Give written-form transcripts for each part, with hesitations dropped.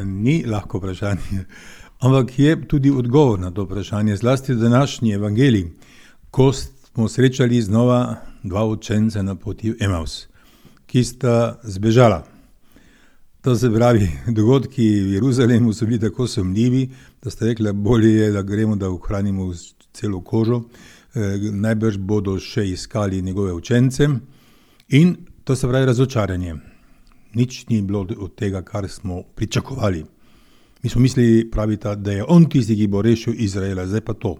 Ni lahko vprašanje, ampak je tudi odgovor na to vprašanje, zlasti današnji evangelij, ko smo srečali znova dva učenca na poti v Emaus, ki sta zbežala. To se pravi, dogodki v Jeruzalemu so bili tako sumljivi, da sta rekla, bolje je, da gremo, da ohranimo celo kožo, najbrž bodo še iskali njegove učence in to se pravi razočaranje. Nič ni bilo od tega, kar smo pričakovali. Mi smo mislili, pravita, da je on tisti, ki bo rešil Izraela, zdaj pa to.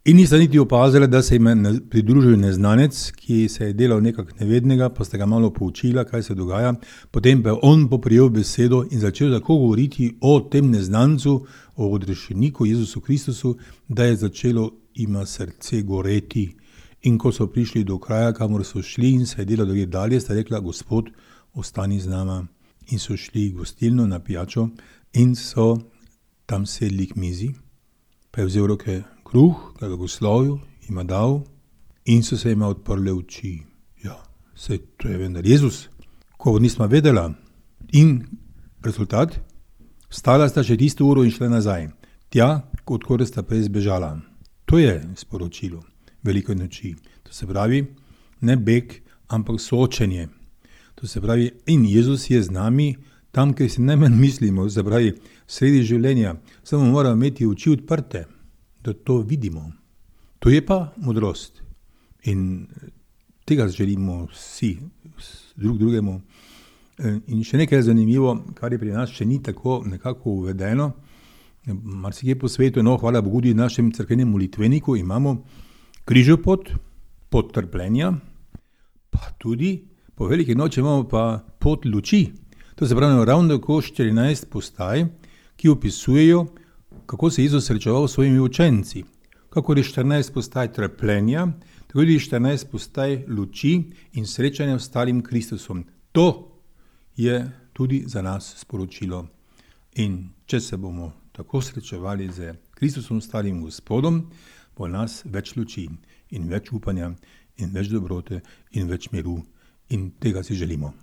In nista niti opazila, da se jim je pridružil neznanec, ki se je delal nekak nevednega, pa sta ga malo poučila, kaj se dogaja. Potem pa je on poprijel besedo in začel tako govoriti o tem neznancu, o odrešeniku Jezusu Kristusu, da je začelo ima srce goreti. In ko so prišli do kraja, kamor so šli in se je delal drugje dalje, sta rekla, Gospod, ostani z nama. In so šli v gostilno na pijačo in so tam sedli k mizi, pa je vzel roke kruh, ga blagoslovil, jima dal in so se jima odprle oči. Ja, saj to je vendar Jezus, ko nismo vedela. In rezultat? Vstala sta še tisto uro in šla nazaj, tja, odkor sta prej zbežala. To je sporočilo velike noči. To se pravi, ne beg, ampak soočenje. To se pravi, in Jezus je z nami tam, kjer si najmanj mislimo, se pravi, sredi življenja. Samo moramo imeti oči odprte, da to vidimo. To je pa modrost. In tega želimo vsi drugemu. In še nekaj zanimivo, kar je pri nas še ni tako nekako uvedeno. Marsikje po svetu, hvala Bogu, tudi v našem cerkvenem molitveniku imamo križopot, pot trpljenja, pa tudi po veliki noči imamo pa pot luči. To se pravi ravno tako 14 postaj, ki opisujejo, kako se Jezus srečeval s svojimi učenci. Kako je 14 postaj trpljenja, tako je 14 postaj luči in srečanja s stalim Kristusom. To je tudi za nas sporočilo. In če se bomo tako srečevali z Kristusom, stalim Gospodom, bo nas več luči in več upanja in več dobrote in več miru in tega si želimo.